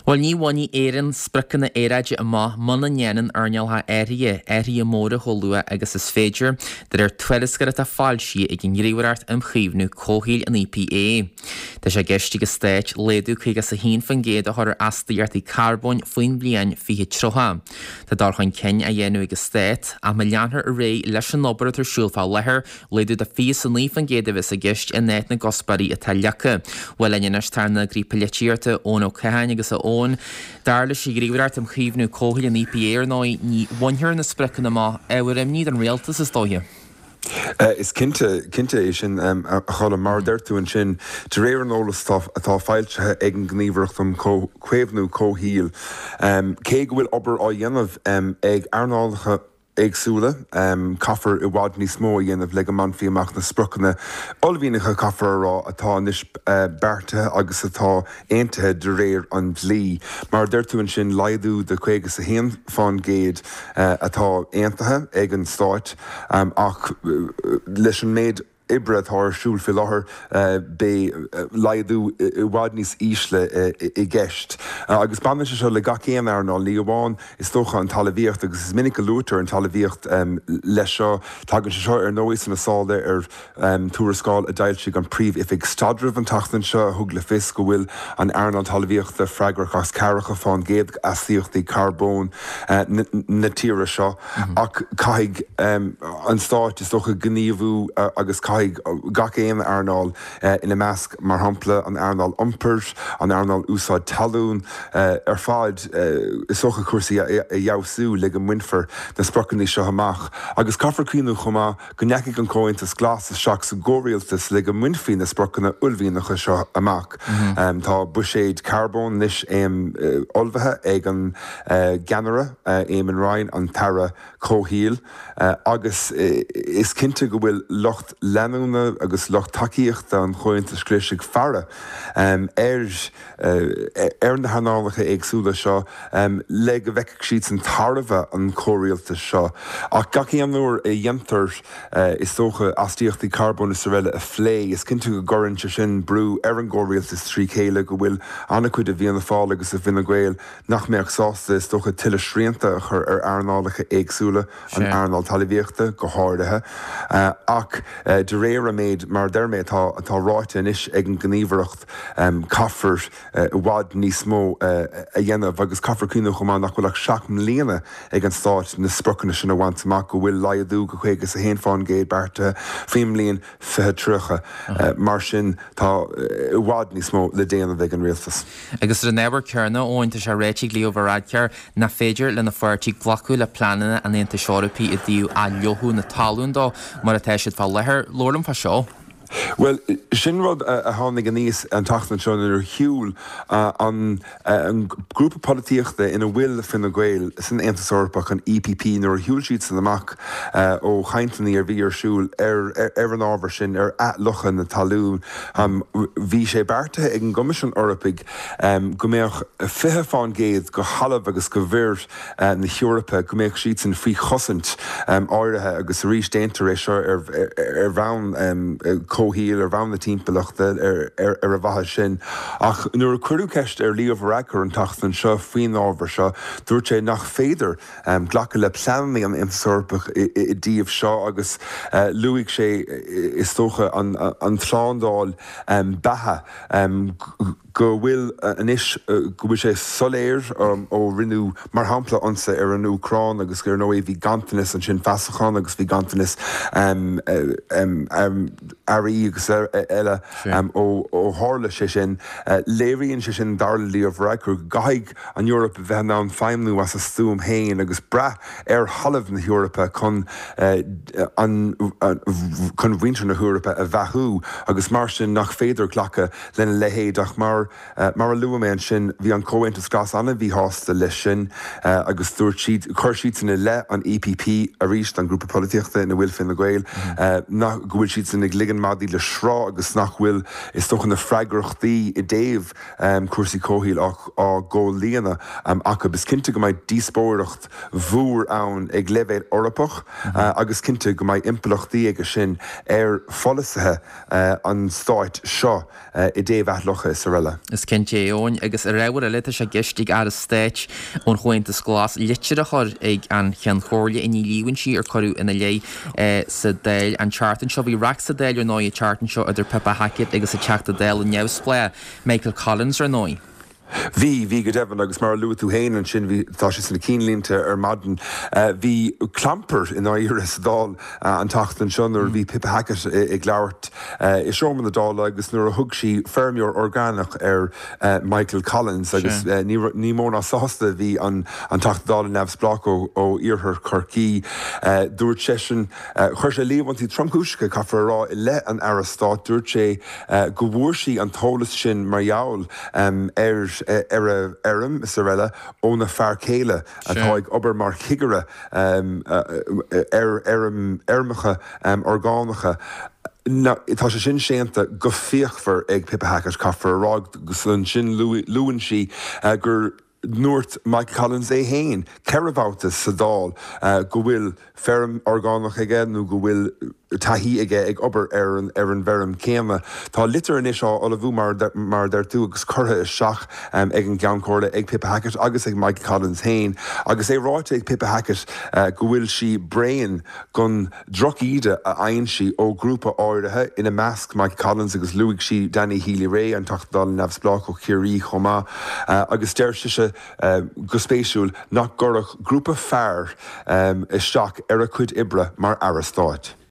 Bhuel, ní bhainfidh Éirinn spriocanna aeráide amach muna ndéanann earnálacha áirithe athruithe móra chomh luath agus is féidir, de réir tuarascáil atá foilsithe ag an nGníomhaireacht um Chaomhnú Comhshaoil, an EPA. Tá sé i gceist ag an Stát laghdú 51% a chur ar astaíochtaí carbóin faoin bhliain 2030. Tá dul chun cinn á dhéanamh ag an Stát, ach má leanfar ar aghaidh leis an obair atá ar siúl fá láthair, Laghdú de 29% a bheas i gceist in áit na gcuspóirí atá leagtha. Bhuel linn anois tá ár n-eagraí polaitíochta, Eoin Ó Catháin agus a Eoin, dar leis an Ghníomhaireacht um Chaomhnú Comhshaoil, an EPA, ar ndóigh, ní bhainfear na spriocanna amach. Ábhar imní don rialtas, is dóiche. Is cinnte, cinnte é sin, a Cholm. Mar a deir tú ansin, de réir an eolais atá foilsithe ag an nGníomhaireacht um Chaomhnú Comhshaoil, cé go bhfuil obair á dhéanamh ag earnálacha, éagsúla. Caithfear i bhfad níos mó a dhéanamh le go mbainfí amach na spriocanna uaillmhianacha, caithfear a rá, atá anois beartaithe agus atá aontaithe de réir an dlí. Mar a deir tú ansin, laghdú de 51 fán gcéad atá aontaithe ag an Stát ach leis an méid oibre atá ar siúl faoi láthair, beidh laghdú i bhfad níos ísle i gceist. Agus baineann sé seo le gach aon earnáil, ní amháin, is dócha, an talmhaíocht, agus is minic a luaitear an talmhaíocht leis seo. Tagann sé seo, ar ndóigh, sna sála ar tuarascáil a d'fhoilsigh an Phríomh-Oifig Staidrimh an tseachtain seo a thug le fios go bhfuil an earnáil talmhaíochta freagrach as ceathracha fán gcéad d'astaíochtaí carbóin na tíre seo. Ach caithfidh an Stát, is dócha, gníomhú agus caithfidh gach aon earnáil, ina measc, mar shampla, an earnáil iompair, an earnáil úsáid talún, ar fad, is dócha, cúrsaí a fheabhsú le go mbainfear na spriocanna seo amach. Agus caithfear cuimhniú chomh maith go ndeachaigh an Comhaontas Glas isteach sa gcomhrialtas le go mbainfí na spriocanna uaillmhianacha seo amach. Tá buiséad carbóin anois ullmhaithe ag an gceannaire, Eamon Ryan, an tAire Comhshaoil, agus is cinnte go bhfuil lucht leanúna agus lucht tacaíochta an Chomhaontais Ghlais ag faire ar ar na hearnálacha éagsúla seo le go bhfeicfidh siadsan tairbhe an chomhrialtais seo. Ach gach aon uair a dhéantar, is dócha, astaíochtaí carbóin is araile a phlé, is cinnte go gcuireann sé sin brú ar an gcomhrialtas trí chéile, go bhfuil an-chuid de Fhianna Fáil agus de Fhine Gael nach mbeadh sásta, is dócha, tuilleadh srianta a chur ar earnálacha éagsúla, an earnáil talmhaíochta go háirithe. Ach de réir an méid, mar a deir mé, atá atá ráite anois ag an nGníomhaireacht, caithfear i bhfad níos mó a dhéanamh agus caithfear cuimhniú chomh maith nach bhfuil ach 7 mbliana ag an Stát na spriocanna sin a bhaint amach, go bhfuil laghdú go 51 fán gcéad beartaithe faoin mbliain 2030. Mar sin, tá i bhfad níos mó le déanamh ag an rialtas. Agus ar an ábhar céanna, Eoin, tá sé ráite ag Leo Varadkar nach féidir lena pháirtí glacadh le pleananna an Aontais Eorpaigh i dtaobh athfhliuchadh na talún dó mar atá siad fá láthair. Labhair liom fá seo. Bhuel, sin rud a tháinig aníos an tseachtain seo nuair a shiúil an grúpa polaitíochta ina bhfuil Fine Gael san Aontas Eorpach, an EPP, nuair a shiúil siadsan amach ó chainteanna a bhí ar siúl ar an ábhar sin, ar athfhliuchadh na talún. Bhí sé beartaithe ag an gCoimisiún Eorpaigh go mbeadh 20 fán gcéad de thalamh agus de mhuir na hEorpa, go mbeadh siadsan faoi chosaint áirithe agus arís déantar é seo ar bhonn comhshaoil, ar bhonn na timpeallachta, ar a mhaithe sin. Ach nuair a cuireadh ceist ar Leo Varadkar an tseachtain seo faoin ábhar seo, dúirt sé nach féidir glacadh le pleananna an Aontais Eorpaigh i dtaobh seo agus luaigh sé, is dócha, an tslándáil beatha, go bhfuil anois, go bhfuil sé soiléir ó rinneadh, mar shampla, ionsaí ar an Úcráin agus ar ndóigh bhí ganntanas ansin feasachán agus bhí ganntanas earraí agus eile ó tharla sé sin. Léiríonn sé sin, dar le Leo Varadkar, go gcaithfidh an Eoraip a bheith in ann feidhmniú as a stuaim féin agus brath ar thalamh na hEorpa chun an chun mhuintir na hEorpa a bheathú agus mar sin nach féidir glacadh lena leithéid ach mar mar a luaigh mé ansin bhí an Comhaontas Glas an-mhíshásta leis sin agus dúirt siad, chuir siadsan i leith an EPP arís, an grúpa polaitíochta ina bhfuil Fine Gael, nach go bhfuil siadsan ag ligean madaí le sruth agus nach bhfuil is dócha na freagrachtaí i dtaobh cúrsaí comhshaoil á gcomhlíonadh acu. Is cinnte go mbeidh díospóireacht mhór ann ag leibhéal Eorpach agus cinnte go mbeidh impleachtaí aige sin ar pholasaithe an stáit seo i dtaobh athfhliuchadh is araile. feirme. Is cinnte é, Eoin, agus ar ábhar eile, tá sé i gceist ag Aire Stáit ón Chomhaontas Glas litir a chur ag an Cheann Comhairle i ndiaidh líomhaintí ar cuireadh ina leith sa Dáil an tseachtain seo. Bhí raic sa Dáil, ar ndóigh, an tseachtain seo idir Pippa Hackett agus an Teachta Dála neamhspleách, Michael Collins, ar ndóigh. Bhí, bhí go deimhin, agus mar a luaigh tú féin ansin, bhí, tá sé sna cinnlínte ar maidin, bhí clampar i ndáiríre sa Dáil an tseachtain seo nuair a bhí Pippa Hackett ag labhairt i seomra na Dála agus nuair a thug sí feirmeoir orgánach ar Michael Collins agus ní, ní mó ná sásta a bhí an Teachta Dála neamhspleách ó iarthar Chorcaí. Dúirt seisean, chuir sé líomhaintí tromchúiseacha, caithfear a rá, i leith an Aire Stáit, dúirt sé, go bhfuair sí an t-eolas sin mar gheall ar ar a fheirm is araile óna fear céile atá ag obair mar chigire ar fheirm fheirmeacha orgánacha. Tá sé sin séanta go fíochmhar ag Pippa Hackett, caithfear a rá, agus ansin luann sí gur ndúirt Michael Collins é féin ceithre bhabhta sa Dáil go bhfuil feirm orgánach aige nó go bhfuil taithí aige ag obair ar an ar an bhfeirm chéanna. Tá litir anois á ullmhú, mar mar a deir tú, agus curtha isteach ag an gCeann Comhairle, ag Pippa Hackett agus ag Michael Collins féin agus é ráite ag Pippa Hackett go bhfuil sí bréan gon drochíde a fhaigheann sí ó ghrúpa áirithe, ina measc Michael Collins agus luaigh sí Danny Healy-Rae, an Teachta Dála neamhspleách ó Chiarraí chomh maith, agus deir sise, go spéisiúil, nach gcuirfeadh grúpa fear isteach ar a cuid oibre mar Aire Stáit.